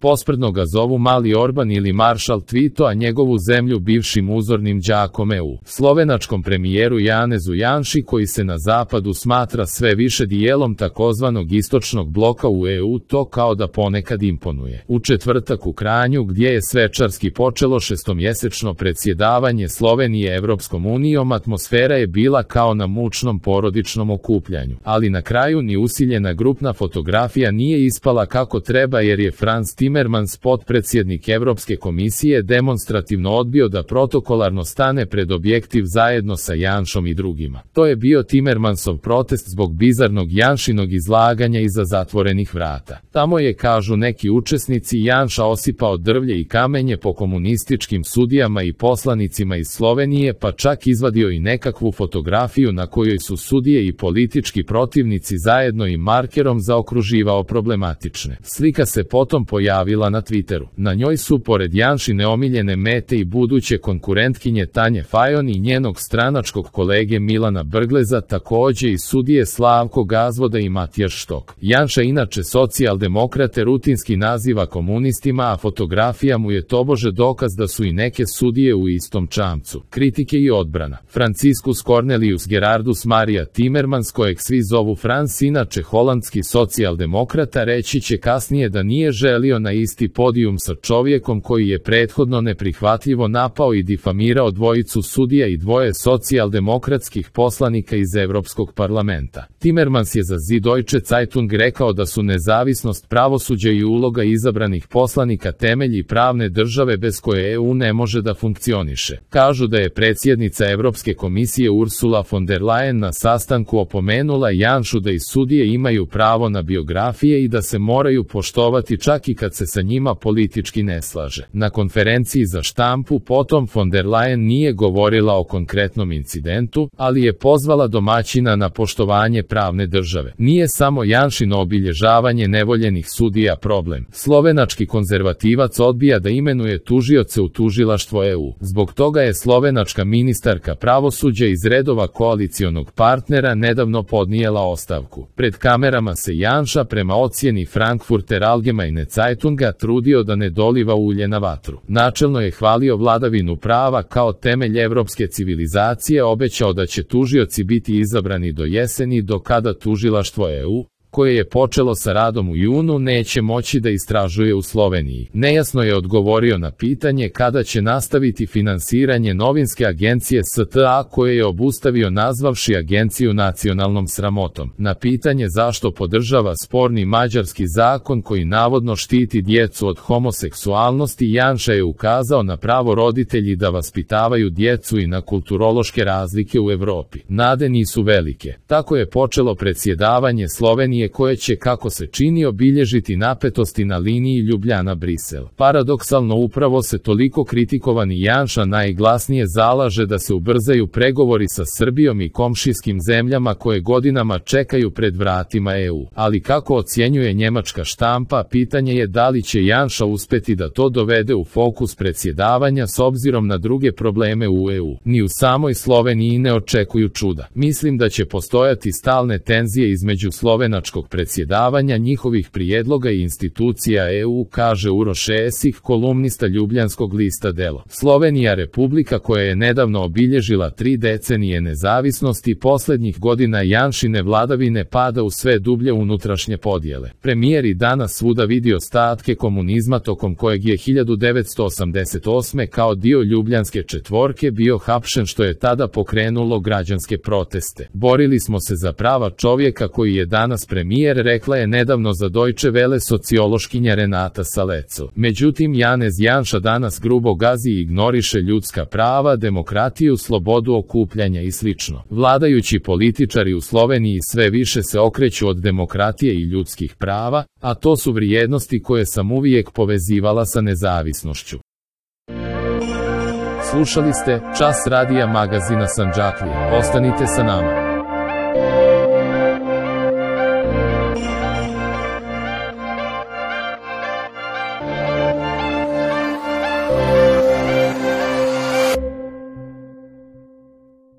Posprdno ga zovu Mali Orban ili Maršal Tito, a njegovu zemlju bivšim uzornim đakom EU. Slovenačkom premijeru Janezu Janši, koji se na zapadu smatra sve više dijelom takozvanog istočnog bloka u EU, to kao da ponekad imponuje. U četvrtak u Kranju, gdje je svečarski počelo šestomjesečno predsjedavanje Slovenije Evropskom unijom, atmosfera je bila kao na mučnom porodičnom okupljanju. Ali na kraju ni usiljena grupna fotografija nije ispala kako treba, jer je Frans Timmermans, potpredsjednik Evropske komisije, demonstrativno odbio da protokolarno stane pred objektiv zajedno sa Janšom i drugima. To je bio Timmermansov protest zbog bizarnog Janšinog izlaganja iza zatvorenih vrata. Tamo je, kažu neki učesnici, Janša osipao drvlje i kamenje po komunističkim sudijama i poslanicima iz Slovenije, pa čak izvadio i nekakvu fotografiju na kojoj su sudije i politički protivnici zajedno i markerom zaokruživao problematične. Slika se potom pojavila na Twitteru. Na njoj su, pored Janšine omiljene mete, i buduće konkurentkinje Tanje Fajon i njenog stranačkog kolege Milana Brgleza, takođe i sudije Slavko Gazvoda i Matijaš Štok. Janša inače socijaldemokrate rutinski naziva komunistima, a fotografija mu je tobože dokaz da su i neke sudije u istom čamcu. Kritike i odbrana. Franciscus Cornelius Gerardus Maria Timmermans, kojeg svi zovu Frans, inače holandski socijaldemokrata, reći će kasnije da nije želio na isti podijum sa čovjekom koji je prethodno neprihvatljivo napao i difamirao dvojicu sudija i dvoje socijaldemokratskih poslanika iz Evropskog parlamenta. Timmermans je za Süddeutsche Zeitung rekao da su nezavisnost pravosuđa i uloga izabranih poslanika temelji pravne države bez koje EU ne može da funkcioniše. Kažu da je predsjednica Evropske komisije Ursula von der Leyen na sastanku opomenula Janšu da i sudije imaju pravo na biografije i da se moraju poštovati čak i kad se sa njima politički ne slaže. Na konferenciji za štampu potom von der Leyen nije govorila o konkretnom incidentu, ali je pozvala domaćina na poštovanje pravne države. Nije samo Janšino obilježavanje nevoljenih sudija problem. Slovenački konzervativac odbija da imenuje tužioce u tužilaštvo EU. Zbog toga je slovenačka ministarka pravosuđa iz redova koalicionog partnera nedavno podnijela ostavku. Pred kamerama se Janša, prema ocjeni Frankfurter Allgemeine Zeitunga, trudio da ne doliva ulje na vatru. Načelno je hvalio vladavinu prava kao temelj evropske civilizacije, obećao da će tužioci biti izabrani do jeseni, do kada tužilaštvo EU, koje je počelo sa radom u junu, neće moći da istražuje u Sloveniji. Nejasno je odgovorio na pitanje kada će nastaviti finansiranje novinske agencije STA, koje je obustavio nazvavši agenciju nacionalnom sramotom. Na pitanje zašto podržava sporni mađarski zakon koji navodno štiti djecu od homoseksualnosti, Janša je ukazao na pravo roditelji da vaspitavaju djecu i na kulturološke razlike u Evropi. Nade nisu velike. Tako je počelo predsjedavanje Slovenije, koje će, kako se čini, obilježiti napetosti na liniji Ljubljana-Brisel. Paradoksalno, upravo se toliko kritikovani Janša najglasnije zalaže da se ubrzaju pregovori sa Srbijom i komšijskim zemljama koje godinama čekaju pred vratima EU. Ali kako ocjenjuje njemačka štampa, pitanje je da li će Janša uspeti da to dovede u fokus predsjedavanja s obzirom na druge probleme u EU. Ni u samoj Sloveniji ne očekuju čuda. Mislim da će postojati stalne tenzije između slovenačkog predsjedavanja, njihovih prijedloga i institucija EU, kaže Uroš Esih, kolumnista ljubljanskog lista Delo. Slovenija, republika koja je nedavno obilježila 3 decenije nezavisnosti, posljednjih godina Janšine vladavine pada u sve dublje unutrašnje podjele. Premijer i danas svuda vidi ostatke komunizma tokom kojeg je 1988. kao dio Ljubljanske četvorke bio hapšen, što je tada pokrenulo građanske proteste. Borili smo se za prava čovjeka koji je danas premijer, rekla je nedavno za Deutsche Welle sociološkinja Renata Saleco. Međutim, Janez Janša danas grubo gazi i ignoriše ljudska prava, demokratiju, slobodu okupljanja i sl. Vladajući političari u Sloveniji sve više se okreću od demokratije i ljudskih prava, a to su vrijednosti koje sam uvijek povezivala sa nezavisnošću. Slušali ste Čas radija magazina Sandžaklije. Ostanite sa nama.